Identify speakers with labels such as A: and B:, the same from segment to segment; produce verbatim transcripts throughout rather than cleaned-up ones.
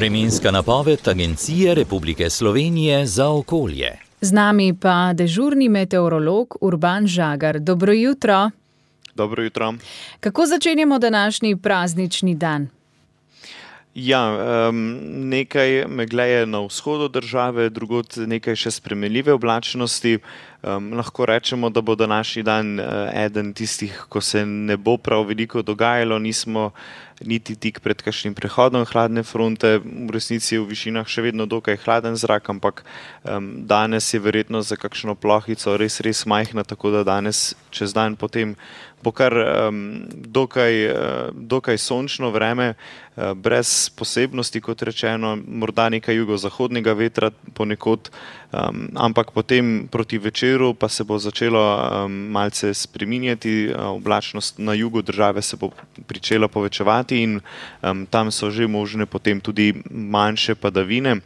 A: Vremenska napoved Agencije Republike Slovenije za okolje.
B: Z nami pa dežurni meteorolog Urban Žagar. Dobro jutro.
C: Dobro jutro.
B: Kako začenjamo današnji praznični dan?
C: Ja, um, nekaj megle je na vzhodu države, drugod nekaj še spremenljive oblačnosti. Um, lahko rečemo, da bo današnji dan uh, eden tistih, ko se ne bo prav veliko dogajalo, nismo niti tik pred kakšnim prehodom hladne fronte, v resnici je v višinah še vedno dokaj hladen zrak, ampak um, danes je verjetno za kakšno plohico res, res majhna, tako da danes čez dan potem bo kar um, dokaj, uh, dokaj sončno vreme, uh, brez posebnosti, kot rečeno, morda nekaj jugozahodnega vetra ponekod, um, ampak potem proti večeru pa se bo začelo um, malce spreminjati, uh, oblačnost na jugu države se bo pričela povečevati in um, tam so že možne potem tudi manjše padavine,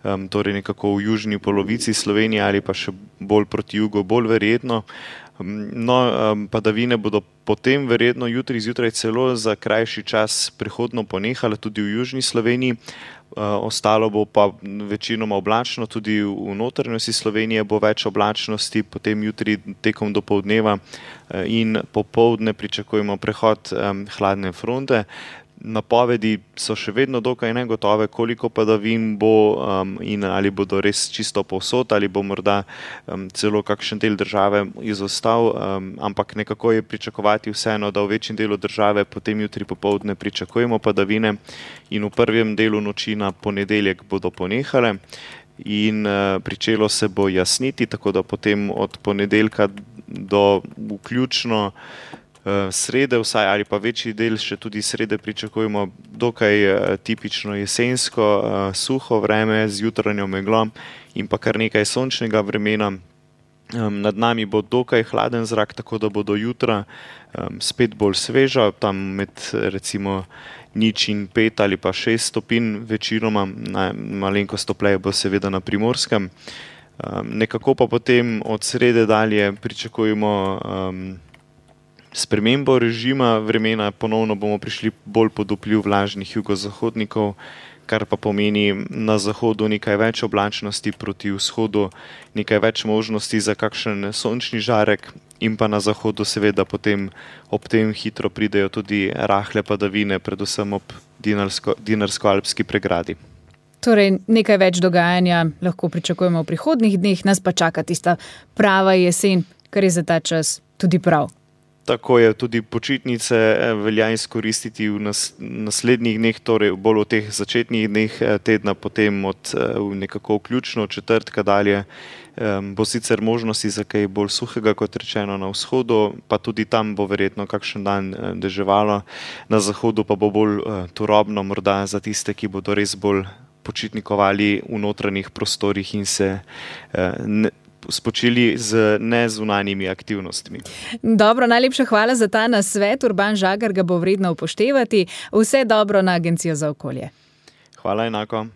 C: um, torej nekako v južni polovici Slovenije ali pa še bolj proti jugu, bolj verjetno. No, padavine bodo potem verjetno jutri zjutraj celo za krajši čas prehodno ponehale tudi v južni Sloveniji, ostalo bo pa večinoma oblačno, tudi v notranjosti Slovenije bo več oblačnosti, potem jutri tekom dopoldneva in popoldne pričakujemo prehod hladne fronte. Napovedi so še vedno dokaj negotove, koliko padavin bo um, in ali bodo res čisto povsod ali bo morda um, celo kakšen del države izostal, um, ampak nekako je pričakovati vseeno, da v večjem delu države potem jutri popoldne pričakujemo padavine in v prvem delu noči na ponedeljek bodo ponehale in uh, pričelo se bo jasniti, tako da potem od ponedeljka do vključno srede vsaj ali pa večji del še tudi srede pričakujemo dokaj tipično jesensko suho vreme z jutranjo meglo in pa kar nekaj sončnega vremena. Nad nami bo dokaj hladen zrak, tako da bo do jutra spet bolj sveža, tam med recimo nič in pet ali pa šest stopinj večinoma, malenkost topleje bo seveda na Primorskem. Nekako pa potem od srede dalje pričakujemo spremembo režima vremena, ponovno bomo prišli bolj pod vpliv vlažnih jugozahodnikov, kar pa pomeni na zahodu nekaj več oblačnosti, proti vzhodu nekaj več možnosti za kakšen sončni žarek in pa na zahodu seveda potem ob tem hitro pridejo tudi rahle padavine, predvsem ob Dinarsko, Dinarsko-Alpski pregradi.
B: Torej nekaj več dogajanja lahko pričakujemo v prihodnjih dneh, nas pa čaka tista prava jesen, kar je za ta čas tudi prav.
C: Tako je, tudi počitnice velja izkoristiti v nas, naslednjih dneh, torej bolj v teh začetnih dneh tedna, potem od nekako vključno četrtka dalje bo sicer možnosti za kaj bolj suhega, kot rečeno na vzhodu, pa tudi tam bo verjetno kakšen dan deževalo, na zahodu pa bo bolj turobno morda za tiste, ki bodo res bolj počitnikovali v notranjih prostorih in se ne, spočili z nezunanjimi aktivnostmi.
B: Dobro, najlepša hvala za ta nasvet. Urban Žagar ga bo vredno upoštevati. Vse dobro na Agencijo za okolje.
C: Hvala enako.